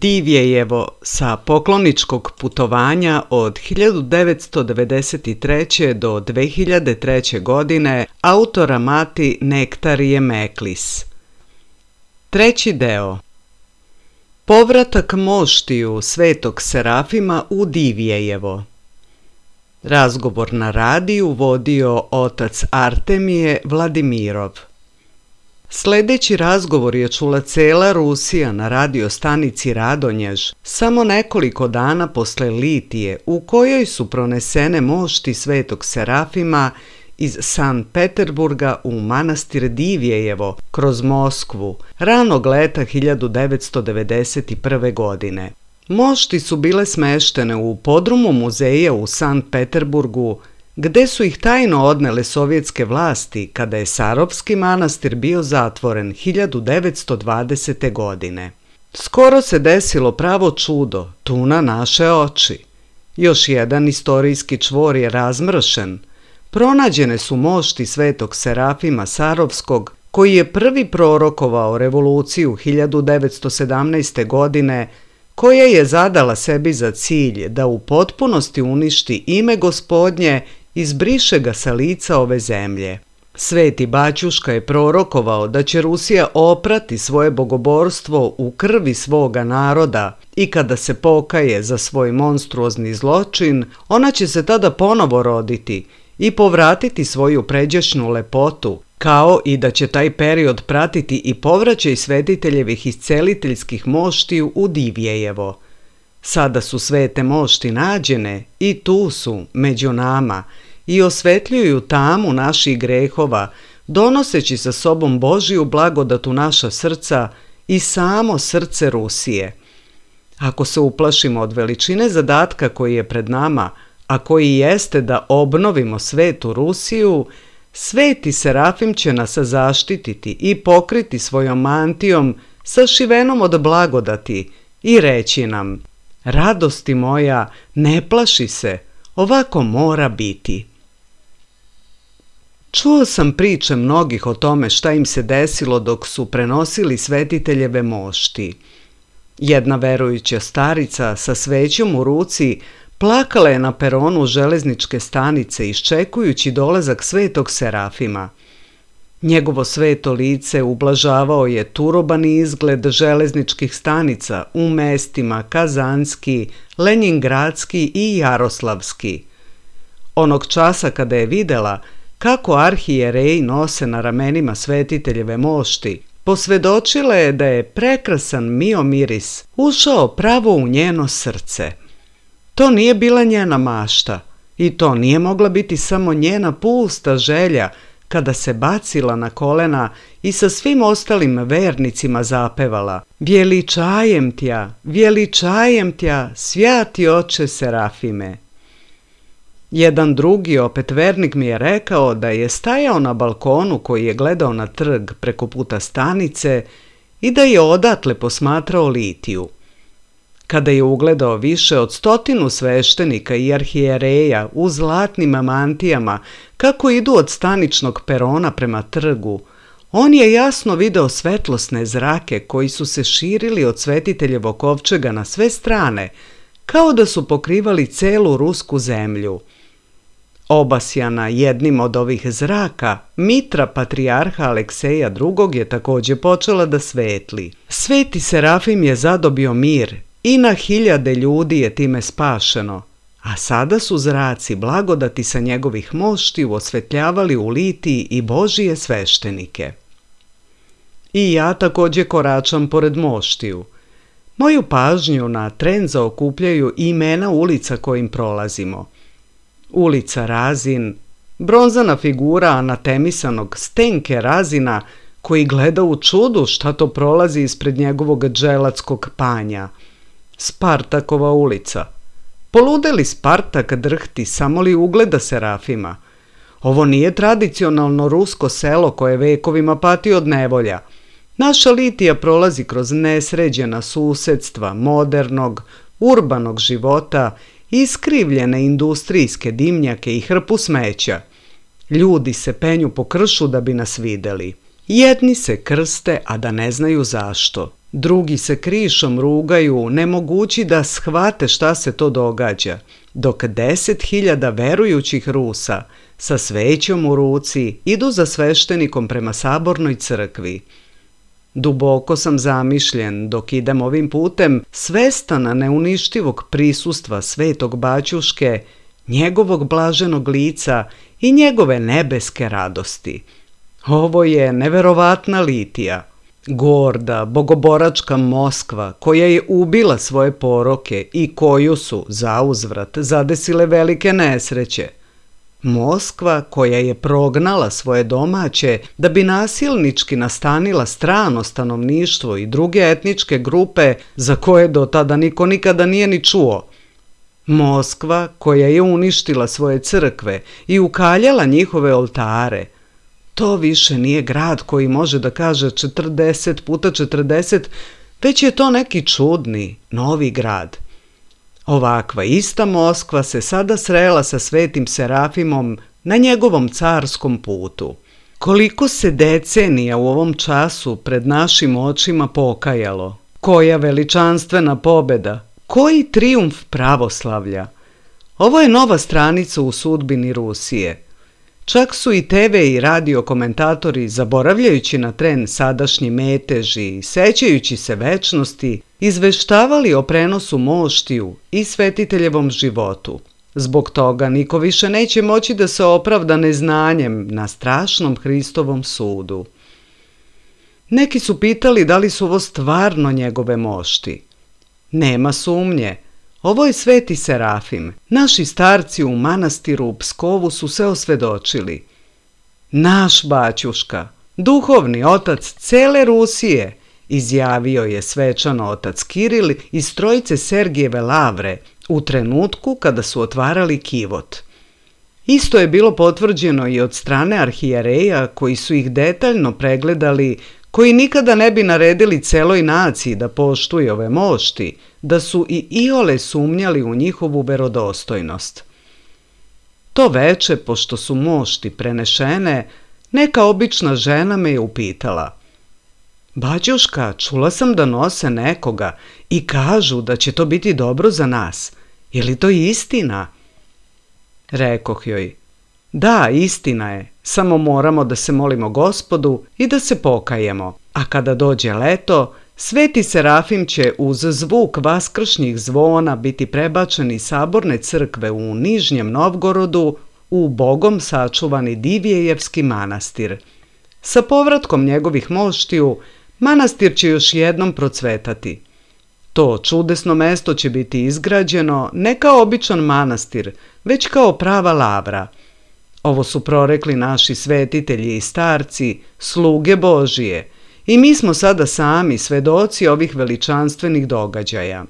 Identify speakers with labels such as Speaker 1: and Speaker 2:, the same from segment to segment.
Speaker 1: Divjejevo sa pokloničkog putovanja od 1993. do 2003. godine autora Mati Nektarije Meklis. Treći deo. Povratak moštiju Svetog Serafima u Divjejevo. Razgovor na radiju vodio otac Artemije Vladimirov. Sljedeći razgovor je čula cela Rusija na radiostanici Radonjež samo nekoliko dana posle litije u kojoj su pronesene mošti Svetog Serafima iz Sankt Peterburga u manastir Divjejevo kroz Moskvu ranog leta 1991. godine. Mošti su bile smeštene u podrumu muzeja u Sankt Peterburgu, gde su ih tajno odnele sovjetske vlasti kada je Sarovski manastir bio zatvoren 1920. godine. Skoro se desilo pravo čudo, tu na naše oči. Još jedan istorijski čvor je razmršen. Pronađene su mošti Svetog Serafima Sarovskog, koji je prvi prorokovao revoluciju 1917. godine, koja je zadala sebi za cilj da u potpunosti uništi ime Gospodnje i izbriše ga sa lica ove zemlje. Sveti Baćuška je prorokovao da će Rusija oprati svoje bogoborstvo u krvi svoga naroda i kada se pokaje za svoj monstruozni zločin, ona će se tada ponovo roditi i povratiti svoju pređašnju lepotu, kao i da će taj period pratiti i povraćaj svetiteljevih isceliteljskih moštiju u Divjejevo. Sada su svete mošti nađene i tu su, među nama, i osvetljuju tamu naših grehova, donoseći sa sobom Božiju blagodat u naša srca i samo srce Rusije. Ako se uplašimo od veličine zadatka koji je pred nama, a koji jeste da obnovimo svetu Rusiju, Sveti Serafim će nas zaštititi i pokriti svojom mantijom sašivenom od blagodati i reći nam: radosti moja, ne plaši se, ovako mora biti. Čuo sam priče mnogih o tome šta im se desilo dok su prenosili svetiteljeve mošti. Jedna verujuća starica sa svećom u ruci plakala je na peronu železničke stanice iščekujući dolazak Svetog Serafima. Njegovo sveto lice ublažavao je turobani izgled železničkih stanica u mestima Kazanski, Lenjingradski i Jaroslavski. Onog časa kada je videla kako arhijereji nose na ramenima svetiteljeve mošti, posvedočila je da je prekrasan miomiris ušao pravo u njeno srce. To nije bila njena mašta i to nije mogla biti samo njena pusta želja kada se bacila na kolena i sa svim ostalim vernicima zapevala: vjeličajem tja, svjati oče Serafime. Jedan drugi opet vernik mi je rekao da je stajao na balkonu koji je gledao na trg preko puta stanice i da je odatle posmatrao litiju. Kada je ugledao više od 100 sveštenika i arhijereja u zlatnim mantijama kako idu od staničnog perona prema trgu, on je jasno video svetlosne zrake koji su se širili od svetiteljevog kovčega na sve strane, kao da su pokrivali celu rusku zemlju. Obasjana jednim od ovih zraka, mitra patrijarha Alekseja II. Je također počela da svetli. Sveti Serafim je zadobio mir i na hiljade ljudi je time spašeno, a sada su zraci blagodati sa njegovih moštiju osvetljavali u litiji i Božije sveštenike. I ja također koračam pored moštiju. Moju pažnju na tren zaokupljaju imena ulica kojim prolazimo. Ulica Razin, bronzana figura anatemisanog Stenke Razina koji gleda u čudu šta to prolazi ispred njegovog dželatskog panja. Spartakova ulica. Poludeli Spartak drhti samo li ugleda Serafima. Ovo nije tradicionalno rusko selo koje vekovima pati od nevolja. Naša litija prolazi kroz nesređena susedstva modernog, urbanog života, iskrivljene industrijske dimnjake i hrpu smeća. Ljudi se penju po kršu da bi nas videli. Jedni se krste, a da ne znaju zašto. Drugi se krišom rugaju, nemogući da shvate šta se to događa, dok 10.000 verujućih Rusa sa svećom u ruci idu za sveštenikom prema sabornoj crkvi. Duboko sam zamišljen dok idem ovim putem, svestan neuništivog prisustva svetog baćuške, njegovog blaženog lica i njegove nebeske radosti. Ovo je neverovatna litija. Gorda, bogoboračka Moskva, koja je ubila svoje poroke i koju su, zauzvrat, zadesile velike nesreće. Moskva koja je prognala svoje domaće da bi nasilnički nastanila strano stanovništvo i druge etničke grupe za koje do tada niko nikada nije ni čuo. Moskva koja je uništila svoje crkve i ukaljala njihove oltare. To više nije grad koji može da kaže 40 puta 40, već je to neki čudni, novi grad. Ovakva ista Moskva se sada srela sa svetim Serafimom na njegovom carskom putu. Koliko se decenija u ovom času pred našim očima pokajalo, koja veličanstvena pobeda, koji trijumf pravoslavlja. Ovo je nova stranica u sudbini Rusije. Čak su i TV i radio komentatori, zaboravljajući na tren sadašnji meteži i sećajući se večnosti, izveštavali o prenosu moštiju i svetiteljevom životu. Zbog toga niko više neće moći da se opravda neznanjem na strašnom Hristovom sudu. Neki su pitali da li su ovo stvarno njegove mošti. Nema sumnje. Ovo je sveti Serafim. Naši starci u manastiru u Pskovu su se osvedočili. Naš baćuška, duhovni otac cele Rusije, izjavio je svečano otac Kiril iz trojice Sergijeve lavre u trenutku kada su otvarali kivot. Isto je bilo potvrđeno i od strane arhijereja koji su ih detaljno pregledali, koji nikada ne bi naredili celoj naciji da poštuje ove mošti, da su i iole sumnjali u njihovu verodostojnost. To veče, pošto su mošti prenešene, neka obična žena me je upitala: "Baćuška, čula sam da nose nekoga i kažu da će to biti dobro za nas. Je li to istina?" Rekoh joj: "Da, istina je, samo moramo da se molimo Gospodu i da se pokajemo, a kada dođe leto, sveti Serafim će uz zvuk vaskršnjih zvona biti prebačen iz saborne crkve u Nižnjem Novgorodu u Bogom sačuvani Divjejevski manastir. Sa povratkom njegovih moštiju, manastir će još jednom procvetati. To čudesno mesto će biti izgrađeno ne kao običan manastir, već kao prava lavra. Ovo su prorekli naši svetitelji i starci, sluge Božije, i mi smo sada sami svedoci ovih veličanstvenih događaja."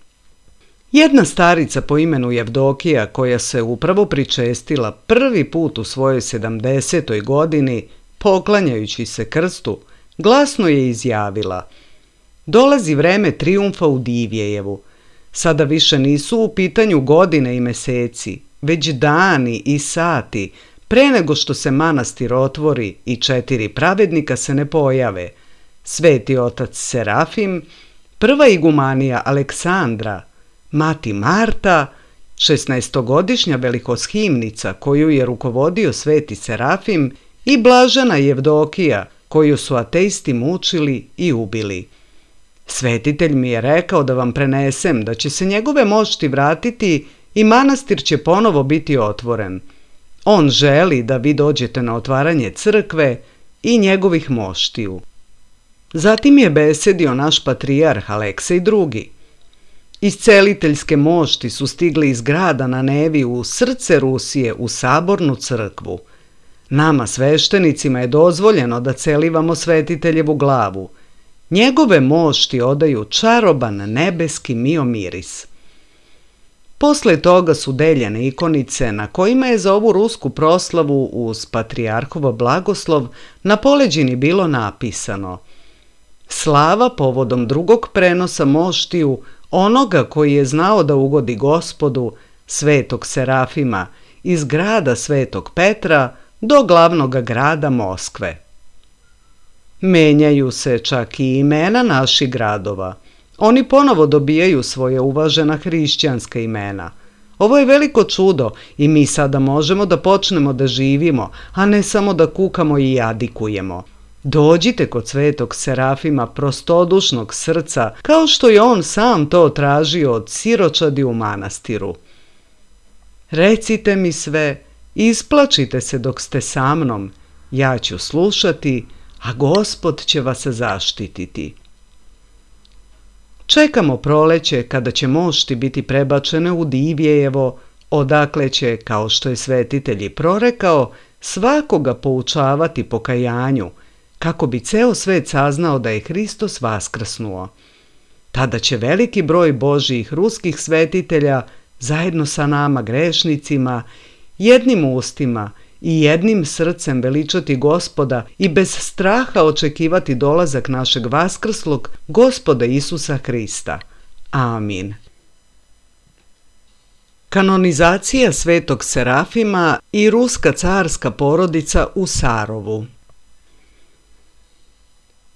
Speaker 1: Jedna starica po imenu Jevdokija, koja se upravo pričestila prvi put u svojoj 70. godini, poklanjajući se krstu, glasno je izjavila: "Dolazi vreme trijumfa u Divjejevu. Sada više nisu u pitanju godine i meseci, već dani i sati, pre nego što se manastir otvori i 4 pravednika se ne pojave: sveti otac Serafim, prva igumanija Aleksandra, mati Marta, 16-godišnja velikoshimnica koju je rukovodio sveti Serafim i blažena Jevdokija koju su ateisti mučili i ubili. Svetitelj mi je rekao da vam prenesem da će se njegove mošti vratiti i manastir će ponovo biti otvoren. On želi da vi dođete na otvaranje crkve i njegovih moštiju." Zatim je besedio naš patrijarh Aleksej II. Isceliteljske mošti su stigli iz grada na Nevi u srce Rusije u sabornu crkvu. Nama sveštenicima je dozvoljeno da celivamo svetiteljevu glavu. Njegove mošti odaju čaroban nebeski miomiris. Posle toga su deljene ikonice na kojima je za ovu rusku proslavu uz patrijarhov blagoslov na poleđini bilo napisano: "Slava povodom drugog prenosa moštiju onoga koji je znao da ugodi Gospodu, svetog Serafima, iz grada Svetog Petra do glavnog grada Moskve." Menjaju se čak i imena naših gradova. Oni ponovo dobijaju svoje uvažena hrišćanska imena. Ovo je veliko čudo i mi sada možemo da počnemo da živimo, a ne samo da kukamo i jadikujemo. Dođite kod svetog Serafima prostodušnog srca, kao što je on sam to tražio od siročadi u manastiru. Recite mi sve, isplačite se dok ste sa mnom, ja ću slušati, a Gospod će vas zaštititi. Čekamo proleće kada će mošti biti prebačene u Divjejevo, odakle će, kao što je svetitelj i prorekao, svakoga poučavati pokajanju, kako bi ceo svet saznao da je Hristos vaskrsnuo. Tada će veliki broj Božjih ruskih svetitelja zajedno sa nama grešnicima, jednim ustima i jednim srcem veličati Gospoda i bez straha očekivati dolazak našeg vaskrslog Gospoda Isusa Hrista. Amin. Kanonizacija svetog Serafima i ruska carska porodica u Sarovu.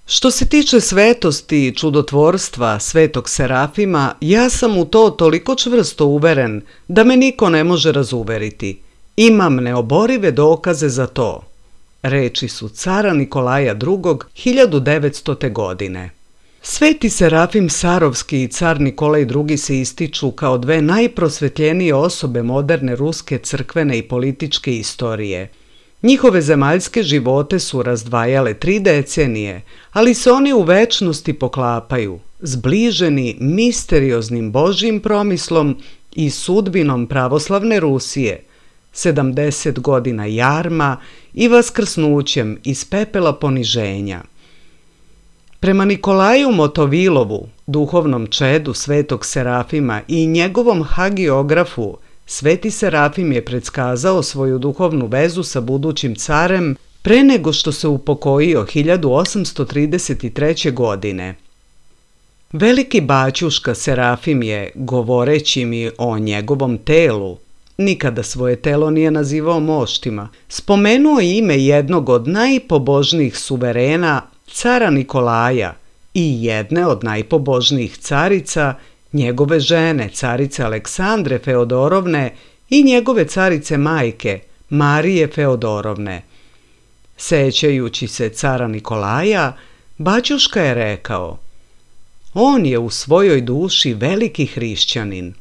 Speaker 1: Što se tiče svetosti i čudotvorstva svetog Serafima, ja sam u to toliko čvrsto uveren da me niko ne može razuveriti. Imam neoborive dokaze za to. Reči su cara Nikolaja II. 1900. godine. Sveti Serafim Sarovski i car Nikolaj II. Se ističu kao dve najprosvetljenije osobe moderne ruske crkvene i političke istorije. Njihove zemaljske živote su razdvajale 3 decenije, ali se oni u večnosti poklapaju, zbliženi misterioznim Božjim promislom i sudbinom pravoslavne Rusije, 70 godina jarma i vaskrsnućem iz pepela poniženja. Prema Nikolaju Motovilovu, duhovnom čedu svetog Serafima i njegovom hagiografu, sveti Serafim je predskazao svoju duhovnu vezu sa budućim carem pre nego što se upokojio 1833. godine. Veliki baćuška Serafim je, govoreći mi o njegovom telu, nikada svoje telo nije nazivao moštima, spomenuo ime jednog od najpobožnijih suverena, cara Nikolaja, i jedne od najpobožnijih carica, njegove žene, carice Aleksandre Feodorovne i njegove carice majke, Marije Feodorovne. Sećajući se cara Nikolaja, baćuška je rekao: on je u svojoj duši veliki hrišćanin.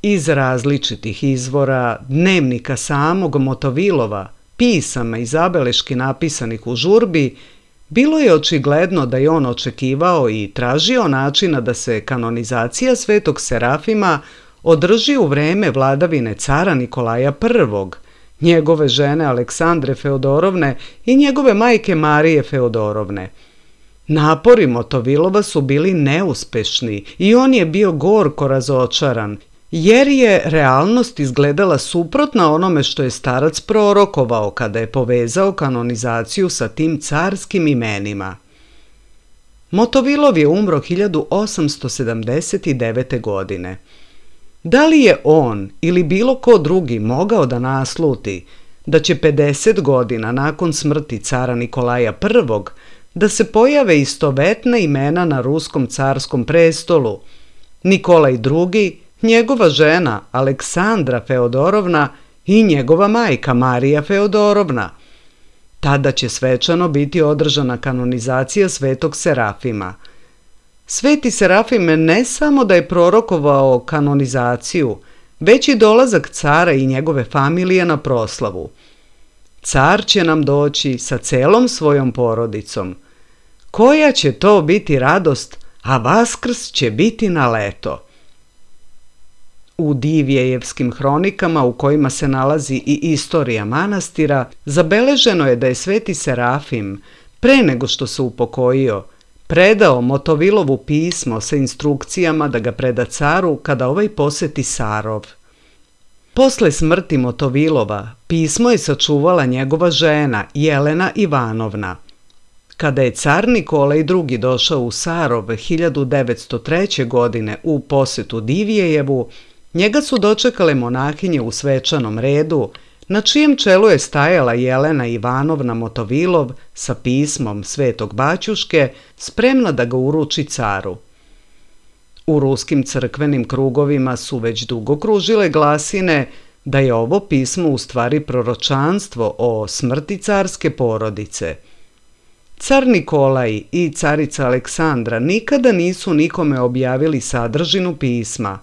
Speaker 1: Iz različitih izvora, dnevnika samog Motovilova, pisama i zabeleški napisanih u žurbi, bilo je očigledno da je on očekivao i tražio načina da se kanonizacija svetog Serafima održi u vreme vladavine cara Nikolaja I., njegove žene Aleksandre Feodorovne i njegove majke Marije Feodorovne. Napori Motovilova su bili neuspešni i on je bio gorko razočaran, jer je realnost izgledala suprotna onome što je starac prorokovao kada je povezao kanonizaciju sa tim carskim imenima. Motovilov je umro 1879. godine. Da li je on ili bilo ko drugi mogao da nasluti da će 50 godina nakon smrti cara Nikolaja I. da se pojave istovetna imena na ruskom carskom prestolu: Nikolaj II., njegova žena Aleksandra Feodorovna i njegova majka Marija Feodorovna? Tada će svečano biti održana kanonizacija svetog Serafima. Sveti Serafim ne samo da je prorokovao kanonizaciju, već i dolazak cara i njegove familije na proslavu. Car će nam doći sa celom svojom porodicom. Koja će to biti radost, a Vaskrs će biti na leto. U Divjejevskim hronikama, u kojima se nalazi i istorija manastira, zabeleženo je da je sveti Serafim, pre nego što se upokojio, predao Motovilovu pismo sa instrukcijama da ga preda caru kada ovaj poseti Sarov. Posle smrti Motovilova, pismo je sačuvala njegova žena Jelena Ivanovna. Kada je car Nikolaj II. Došao u Sarov 1903. godine u posetu Divjejevu, njega su dočekale monahinje u svečanom redu, na čijem čelu je stajala Jelena Ivanovna Motovilov sa pismom Svetog Baćuške, spremna da ga uruči caru. U ruskim crkvenim krugovima su već dugo kružile glasine da je ovo pismo u stvari proročanstvo o smrti carske porodice. Car Nikolaj i carica Aleksandra nikada nisu nikome objavili sadržinu pisma,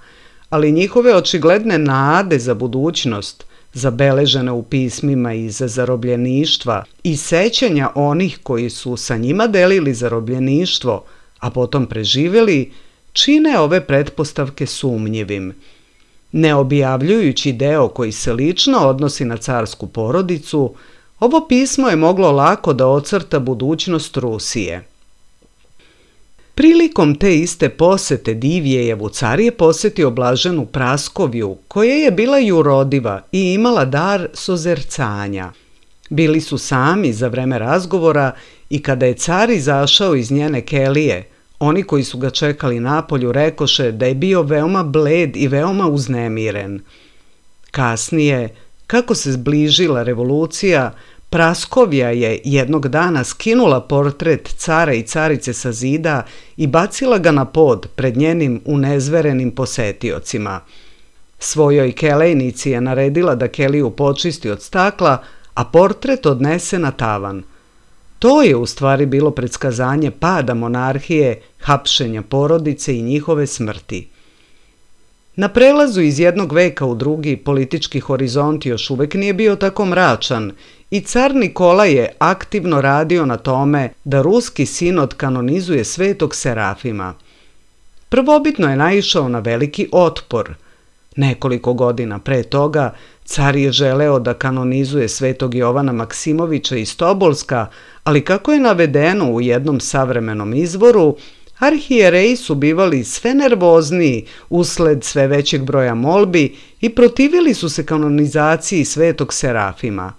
Speaker 1: ali njihove očigledne nade za budućnost, zabeležene u pismima iz zarobljeništva i sećanja onih koji su sa njima delili zarobljeništvo, a potom preživjeli, čine ove pretpostavke sumnjivim. Ne objavljujući deo koji se lično odnosi na carsku porodicu, ovo pismo je moglo lako da ocrta budućnost Rusije. Prilikom te iste posete Divjejevu car je posetio blaženu Praskovju, koja je bila jurodiva i imala dar sozercanja. Bili su sami za vreme razgovora i kada je car izašao iz njene kelije, oni koji su ga čekali napolju rekoše da je bio veoma bled i veoma uznemiren. Kasnije, kako se zbližila revolucija, Praskovja je jednog dana skinula portret cara i carice sa zida i bacila ga na pod pred njenim unezverenim posetiocima. Svojoj kelejnici je naredila da keliju počisti od stakla, a portret odnese na tavan. To je u stvari bilo predskazanje pada monarhije, hapšenja porodice i njihove smrti. Na prelazu iz jednog veka u drugi politički horizont još uvek nije bio tako mračan i car Nikola je aktivno radio na tome da ruski sinod kanonizuje Svetog Serafima. Prvobitno je naišao na veliki otpor. Nekoliko godina pre toga car je želeo da kanonizuje Svetog Jovana Maksimovića iz Tobolska, ali kako je navedeno u jednom savremenom izvoru, arhijereji su bivali sve nervozniji usled sve većeg broja molbi i protivili su se kanonizaciji Svetog Serafima.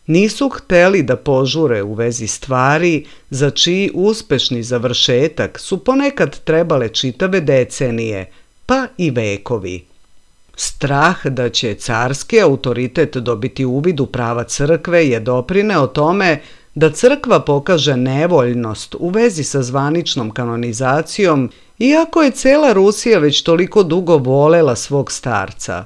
Speaker 1: Nisu hteli da požure u vezi stvari za čiji uspešni završetak su ponekad trebale čitave decenije, pa i vekovi. Strah da će carski autoritet dobiti uvid u prava crkve je doprineo tome da crkva pokaže nevoljnost u vezi sa zvaničnom kanonizacijom, iako je cela Rusija već toliko dugo volela svog starca.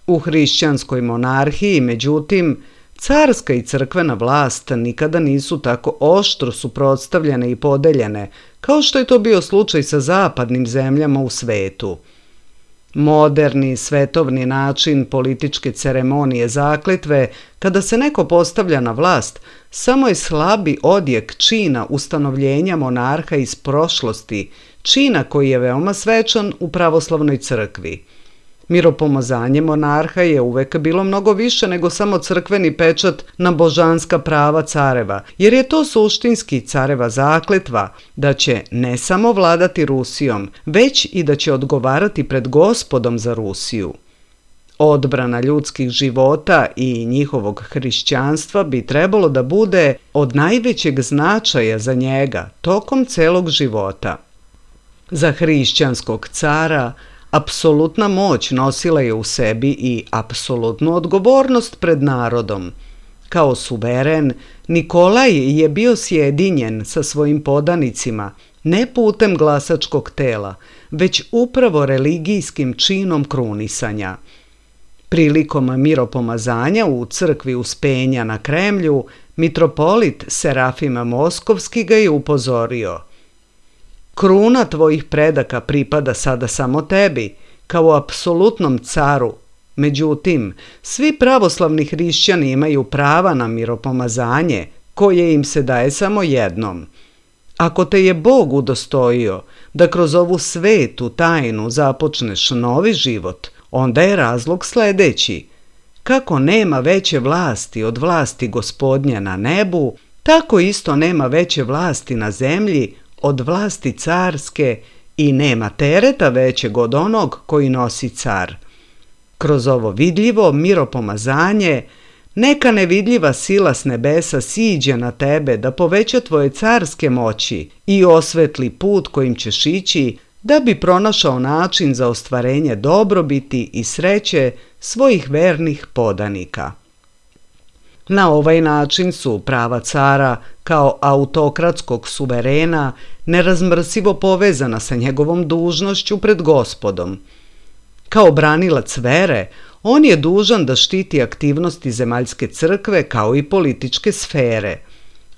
Speaker 1: U hrišćanskoj monarhiji, međutim, carska i crkvena vlast nikada nisu tako oštro suprotstavljene i podeljene, kao što je to bio slučaj sa zapadnim zemljama u svetu. Moderni, svetovni način političke ceremonije zakletve, kada se neko postavlja na vlast, samo je slabi odjek čina ustanovljenja monarha iz prošlosti, čina koji je veoma svečan u pravoslavnoj crkvi. Miropomazanje monarha je uvek bilo mnogo više nego samo crkveni pečat na božanska prava careva, jer je to suštinski careva zakletva da će ne samo vladati Rusijom, već i da će odgovarati pred Gospodom za Rusiju. Odbrana ljudskih života i njihovog hrišćanstva bi trebalo da bude od najvećeg značaja za njega tokom celog života. Za hrišćanskog cara apsolutna moć nosila je u sebi i apsolutnu odgovornost pred narodom. Kao suveren, Nikolaj je bio sjedinjen sa svojim podanicima, ne putem glasačkog tela, već upravo religijskim činom krunisanja. Prilikom miropomazanja u crkvi Uspenja na Kremlju, mitropolit Serafima Moskovski ga je upozorio: kruna tvojih predaka pripada sada samo tebi, kao apsolutnom caru. Međutim, svi pravoslavni hrišćani imaju prava na miropomazanje, koje im se daje samo jednom. Ako te je Bog udostojio da kroz ovu svetu tajnu započneš novi život, onda je razlog sledeći: kako nema veće vlasti od vlasti Gospodnje na nebu, tako isto nema veće vlasti na zemlji od vlasti carske i nema tereta većeg od onog koji nosi car. Kroz ovo vidljivo miropomazanje neka nevidljiva sila s nebesa siđe na tebe da poveća tvoje carske moći i osvetli put kojim ćeš ići da bi pronašao način za ostvarenje dobrobiti i sreće svojih vernih podanika. Na ovaj način su prava cara kao autokratskog suverena nerazmrsivo povezana sa njegovom dužnošću pred Gospodom. Kao branilac vere, on je dužan da štiti aktivnosti zemaljske crkve kao i političke sfere.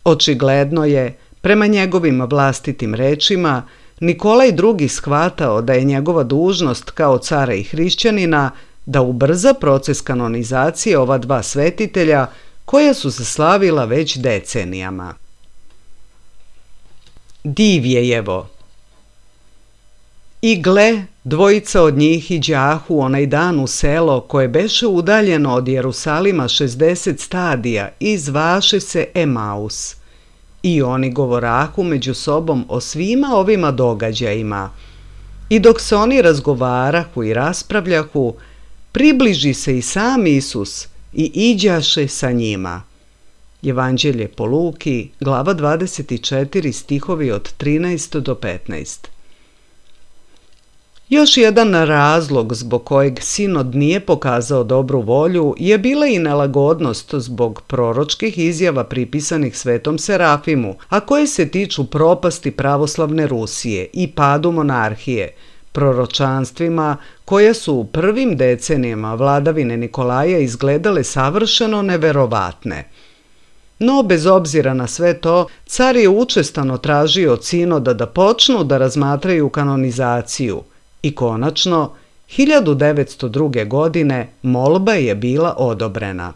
Speaker 1: Očigledno je, prema njegovim vlastitim rečima, Nikolaj II. Shvatao da je njegova dužnost kao cara i hrišćanina da ubrza proces kanonizacije ova dva svetitelja koja su se slavila već decenijama. Divjejevo. I gle, dvojica od njih iđahu onaj dan u selo koje beše udaljeno od Jerusalima 60 stadija i zvaše se Emaus. I oni govorahu među sobom o svima ovima događajima. I dok se oni razgovarahu i raspravljahu, približi se i sam Isus i iđaše sa njima. Evanđelje po Luki, glava 24, stihovi od 13 do 15. Još jedan razlog zbog kojeg sinod nije pokazao dobru volju je bila i nelagodnost zbog proročkih izjava pripisanih Svetom Serafimu, a koje se tiču propasti pravoslavne Rusije i padu monarhije, proročanstvima koja su u prvim decenijama vladavine Nikolaja izgledale savršeno neverovatne. No, bez obzira na sve to, car je učestano tražio od sinoda da počnu da razmatraju kanonizaciju i konačno, 1902. godine molba je bila odobrena.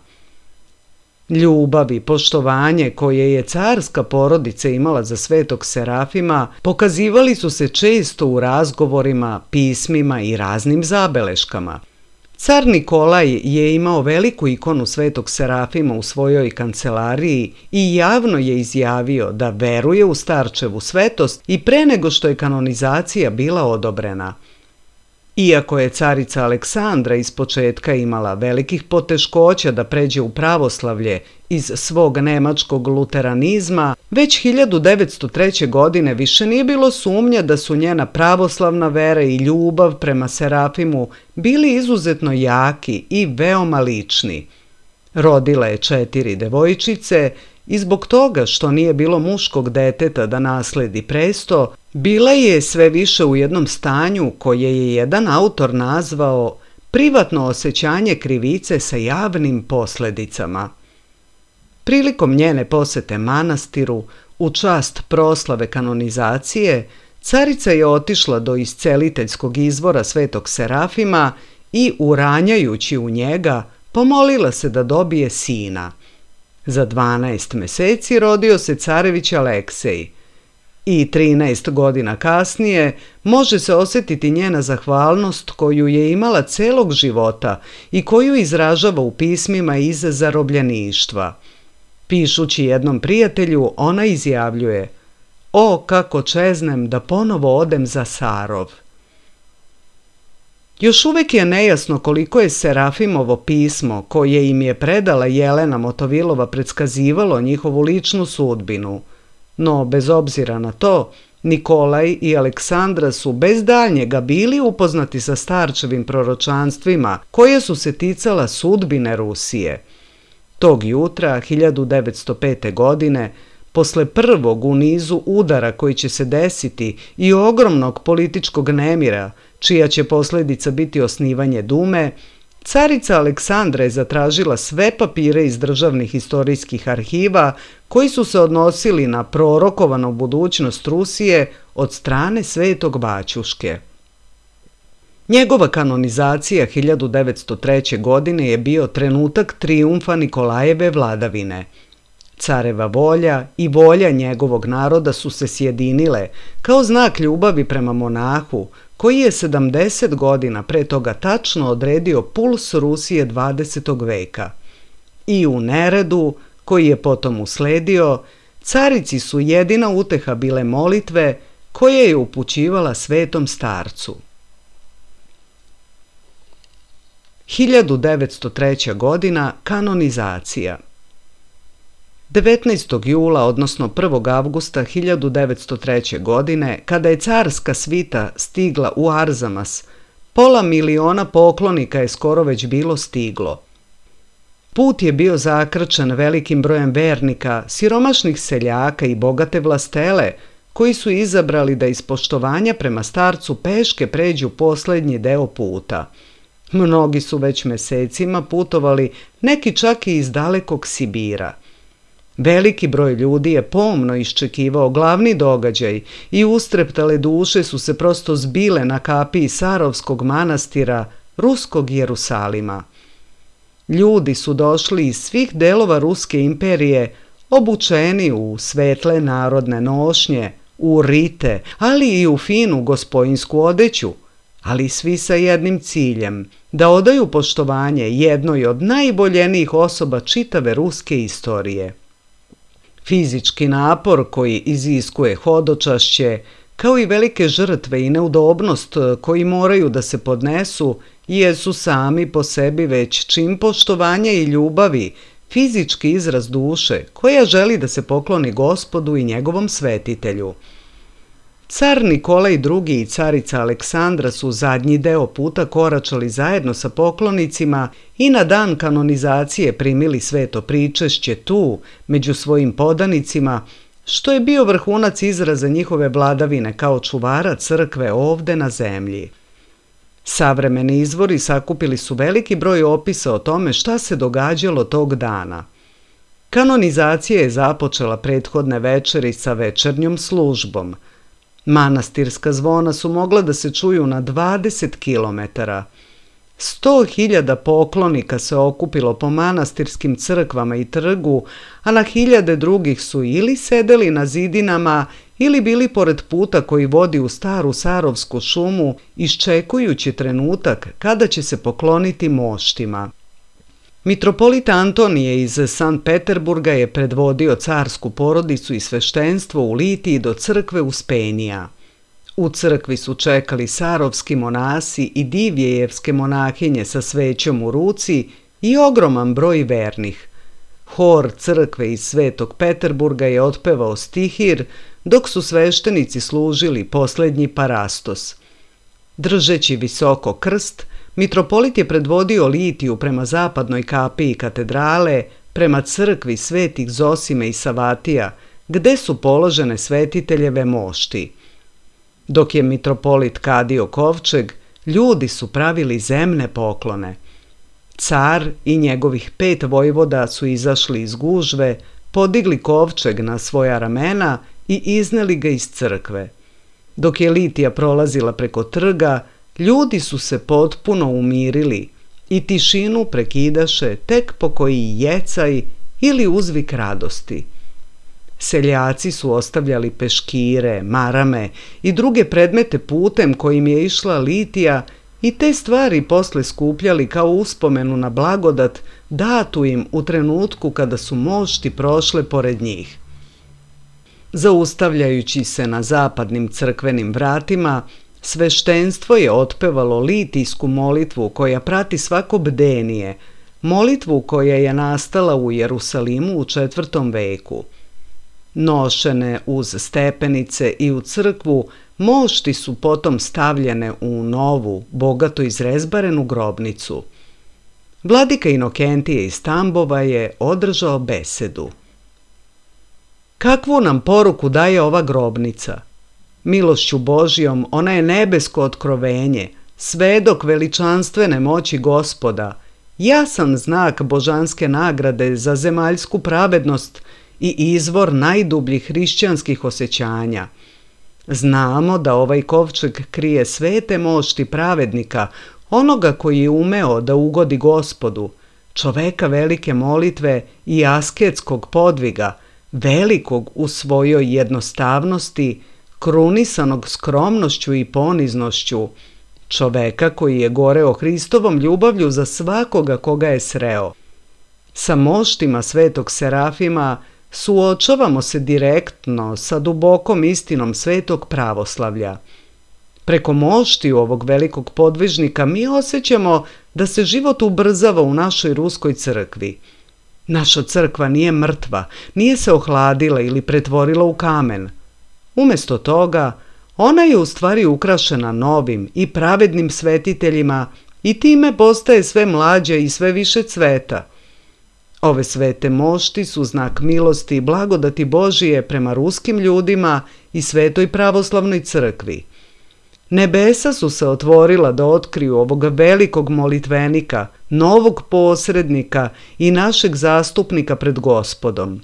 Speaker 1: Ljubav i poštovanje koje je carska porodica imala za Svetog Serafima pokazivali su se često u razgovorima, pismima i raznim zabeleškama. Car Nikolaj je imao veliku ikonu Svetog Serafima u svojoj kancelariji i javno je izjavio da veruje u starčevu svetost i pre nego što je kanonizacija bila odobrena. Iako je carica Aleksandra ispočetka imala velikih poteškoća da pređe u pravoslavlje iz svog nemačkog luteranizma, već 1903. godine više nije bilo sumnja da su njena pravoslavna vera i ljubav prema Serafimu bili izuzetno jaki i veoma lični. Rodila je 4 devojčice i zbog toga što nije bilo muškog deteta da nasledi presto, bila je sve više u jednom stanju koje je jedan autor nazvao privatno osjećanje krivice sa javnim posledicama. Prilikom njene posete manastiru, u čast proslave kanonizacije, carica je otišla do isceliteljskog izvora Svetog Serafima i, uranjajući u njega, pomolila se da dobije sina. Za 12 meseci rodio se carević Aleksej. I 13 godina kasnije može se osjetiti njena zahvalnost koju je imala celog života i koju izražava u pismima iz zarobljeništva. Pišući jednom prijatelju, ona izjavljuje: "O, kako čeznem da ponovo odem za Sarov." Još uvek je nejasno koliko je Serafimovo pismo koje im je predala Jelena Motovilova predskazivalo njihovu ličnu sudbinu. No, bez obzira na to, Nikolaj i Aleksandra su bez daljnjega bili upoznati sa starčevim proročanstvima koje su se ticala sudbine Rusije. Tog jutra, 1905. godine, posle prvog u nizu udara koji će se desiti i ogromnog političkog nemira, čija će posljedica biti osnivanje Dume, carica Aleksandra je zatražila sve papire iz državnih istorijskih arhiva koji su se odnosili na prorokovanu budućnost Rusije od strane Svetog Baćuške. Njegova kanonizacija 1903. godine je bio trenutak trijumfa Nikolajeve vladavine. Careva volja i volja njegovog naroda su se sjedinile kao znak ljubavi prema monahu, koji je 70 godina pre toga tačno odredio puls Rusije 20. veka. I u neredu, koji je potom usledio, carici su jedina uteha bile molitve koje je upućivala Svetom starcu. 1903. godina kanonizacija. 19. jula, odnosno 1. avgusta 1903. godine, kada je carska svita stigla u Arzamas, 500 000 poklonika je skoro već bilo stiglo. Put je bio zakrčen velikim brojem vernika, siromašnih seljaka i bogate vlastele, koji su izabrali da iz poštovanja prema starcu peške pređu posljednji deo puta. Mnogi su već mesecima putovali, neki čak i iz dalekog Sibira. Veliki broj ljudi je pomno iščekivao glavni događaj i ustreptale duše su se prosto zbile na kapiji Sarovskog manastira, ruskog Jerusalima. Ljudi su došli iz svih delova Ruske imperije, obučeni u svetle narodne nošnje, u rite, ali i u finu gospojinsku odeću, ali svi sa jednim ciljem, da odaju poštovanje jednoj od najboljenijih osoba čitave ruske istorije. Fizički napor koji iziskuje hodočašće, kao i velike žrtve i neudobnost koji moraju da se podnesu, jesu sami po sebi već čin poštovanja i ljubavi, fizički izraz duše koja želi da se pokloni Gospodu i njegovom svetitelju. Car Nikolaj II. I carica Aleksandra su zadnji deo puta koračali zajedno sa poklonicima i na dan kanonizacije primili sveto pričešće tu, među svojim podanicima, što je bio vrhunac izraza njihove vladavine kao čuvara crkve ovde na zemlji. Savremeni izvori sakupili su veliki broj opisa o tome šta se događalo tog dana. Kanonizacija je započela prethodne večeri sa večernjom službom. Manastirska zvona su mogla da se čuju na 20 kilometara. 100.000 poklonika se okupilo po manastirskim crkvama i trgu, a na hiljade drugih su ili sedeli na zidinama ili bili pored puta koji vodi u staru Sarovsku šumu, iščekujući trenutak kada će se pokloniti moštima. Mitropolit Antonije iz Sankt Peterburga je predvodio carsku porodicu i sveštenstvo u litiji do crkve Uspenija. U crkvi su čekali sarovski monasi i divjejevske monahinje sa svećom u ruci i ogroman broj vernih. Hor crkve iz Svetog Peterburga je otpevao stihir, dok su sveštenici služili posljednji parastos. Držeći visoko krst, mitropolit je predvodio litiju prema zapadnoj kapiji katedrale, prema crkvi svetih Zosime i Savatija, gde su položene svetiteljeve mošti. Dok je mitropolit kadio kovčeg, ljudi su pravili zemne poklone. Car i njegovih 5 vojvoda su izašli iz gužve, podigli kovčeg na svoja ramena i izneli ga iz crkve. Dok je litija prolazila preko trga, ljudi su se potpuno umirili i tišinu prekidaše tek pokoji jecaj ili uzvik radosti. Seljaci su ostavljali peškire, marame i druge predmete putem kojim je išla litija i te stvari posle skupljali kao uspomenu na blagodat datu im u trenutku kada su mošti prošle pored njih. Zaustavljajući se na zapadnim crkvenim vratima, sveštenstvo je otpevalo litijsku molitvu koja prati svako bdenije, molitvu koja je nastala u Jerusalimu u 4. veku. Nošene uz stepenice i u crkvu, mošti su potom stavljene u novu, bogato izrezbarenu grobnicu. Vladika Inokentije iz Tambova je održao besedu. Kakvu nam poruku daje ova grobnica? Milošću Božjom ona je nebesko otkrovenje, svedok veličanstvene moći Gospoda, jasan znak božanske nagrade za zemaljsku pravednost i izvor najdubljih hrišćanskih osjećanja. Znamo da ovaj kovčeg krije svete mošti pravednika, onoga koji je umeo da ugodi Gospodu, čoveka velike molitve i asketskog podviga, velikog u svojoj jednostavnosti, krunisanog skromnošću i poniznošću, čoveka koji je goreo Hristovom ljubavlju za svakoga koga je sreo. Sa moštima svetog Serafima suočavamo se direktno sa dubokom istinom svetog pravoslavlja. Preko moštiju ovog velikog podvižnika mi osjećamo da se život ubrzava u našoj ruskoj crkvi. Naša crkva nije mrtva, nije se ohladila ili pretvorila u kamen. Umjesto toga, ona je u stvari ukrašena novim i pravednim svetiteljima i time postaje sve mlađa i sve više cveta. Ove svete mošti su znak milosti i blagodati Božije prema ruskim ljudima i Svetoj pravoslavnoj crkvi. Nebesa su se otvorila da otkriju ovog velikog molitvenika, novog posrednika i našeg zastupnika pred Gospodom.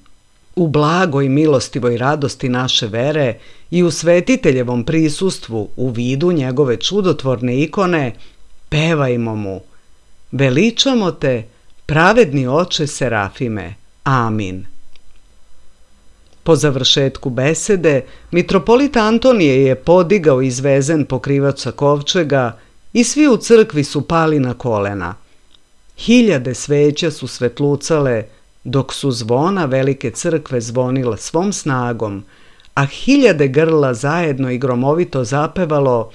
Speaker 1: U blagoj milostivoj radosti naše vere i u svetiteljevom prisustvu u vidu njegove čudotvorne ikone, pevajmo mu: Veličamo te, pravedni oče Serafime. Amin. Po završetku besede, mitropolit Antonije je podigao izvezen pokrivač sa kovčega i svi u crkvi su pali na kolena. Hiljade sveća su svetlucale, dok su zvona velike crkve zvonila svom snagom, a hiljade grla zajedno i gromovito zapevalo: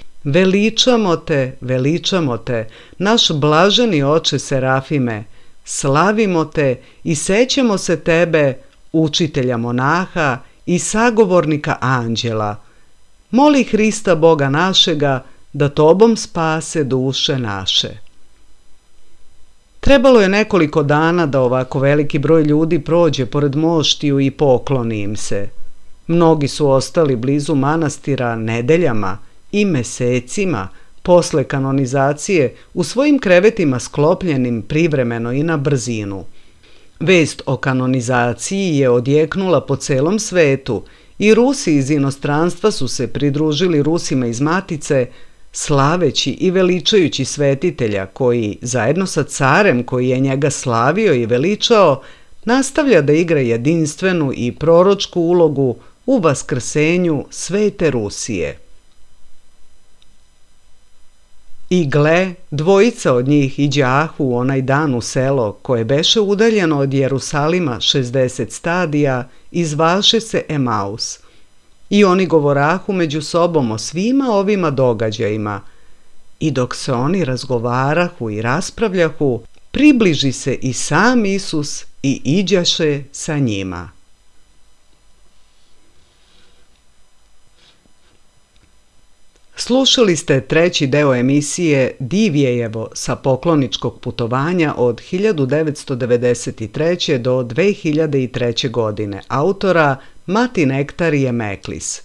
Speaker 1: veličamo te, naš blaženi oče Serafime, slavimo te i sećamo se tebe, učitelja monaha i sagovornika anđela. Moli Hrista Boga našega da tobom spase duše naše. Trebalo je nekoliko dana da ovako veliki broj ljudi prođe pored moštiju i pokloni im se. Mnogi su ostali blizu manastira nedeljama i mesecima posle kanonizacije u svojim krevetima sklopljenim privremeno i na brzinu. Vest o kanonizaciji je odjeknula po celom svetu i Rusi iz inostranstva su se pridružili Rusima iz Matice, slaveći i veličajući svetitelja koji, zajedno sa carem koji je njega slavio i veličao, nastavlja da igra jedinstvenu i proročku ulogu u vaskrsenju svete Rusije. I gle, dvojica od njih iđahu u onaj dan u selo, koje beše udaljeno od Jerusalima 60 stadija, i zvaše se Emaus. I oni govorahu među sobom o svima ovima događajima. I dok se oni razgovarahu i raspravljahu, približi se i sam Isus i iđaše sa njima. Slušali ste treći deo emisije Divjejevo sa pokloničkog putovanja od 1993. do 2003. godine, autora Mati Nektarije Meklis.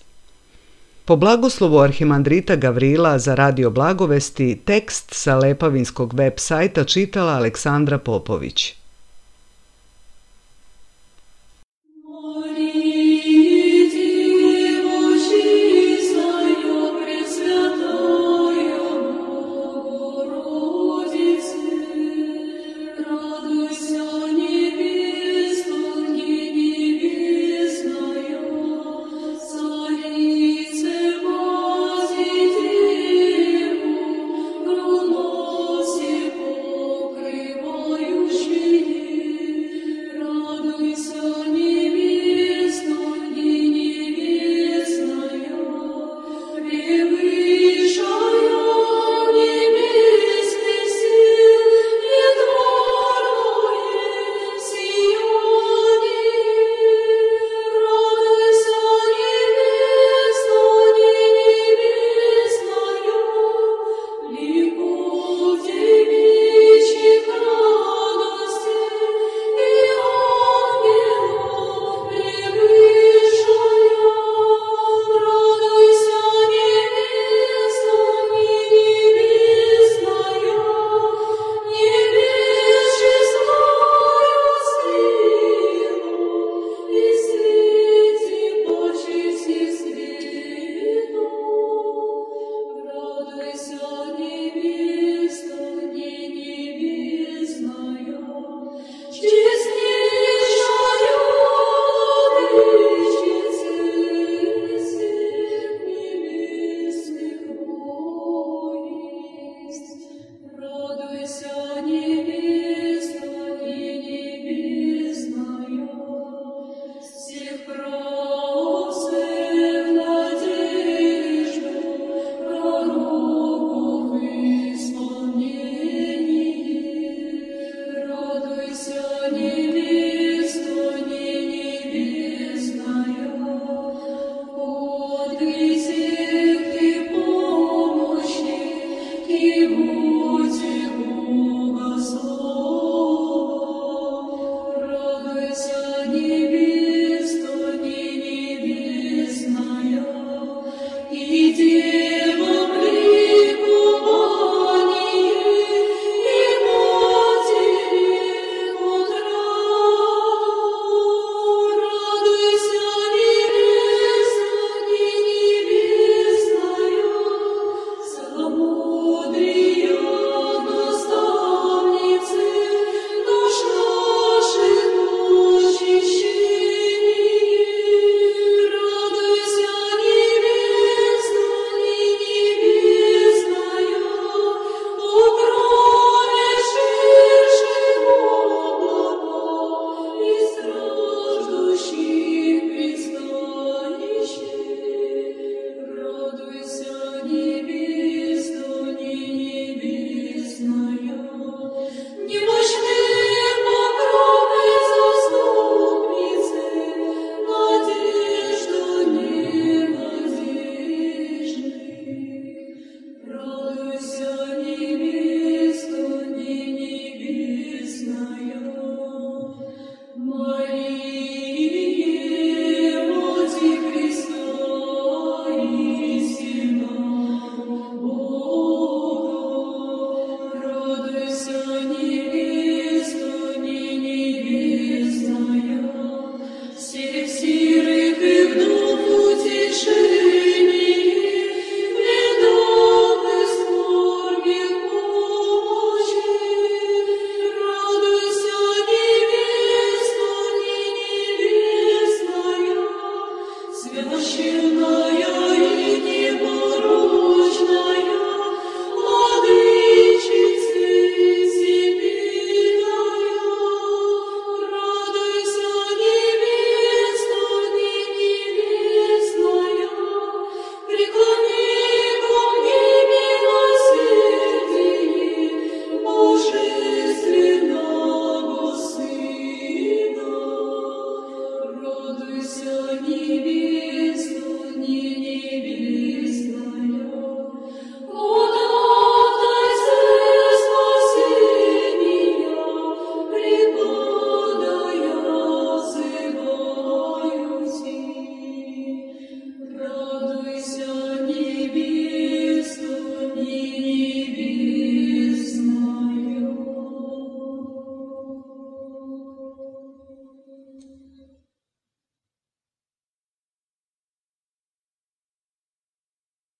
Speaker 1: Po blagoslovu arhimandrita Gavrila za Radio Blagovesti, tekst sa Lepavinskog web sajta čitala Aleksandra Popović.
Speaker 2: She Радуйся,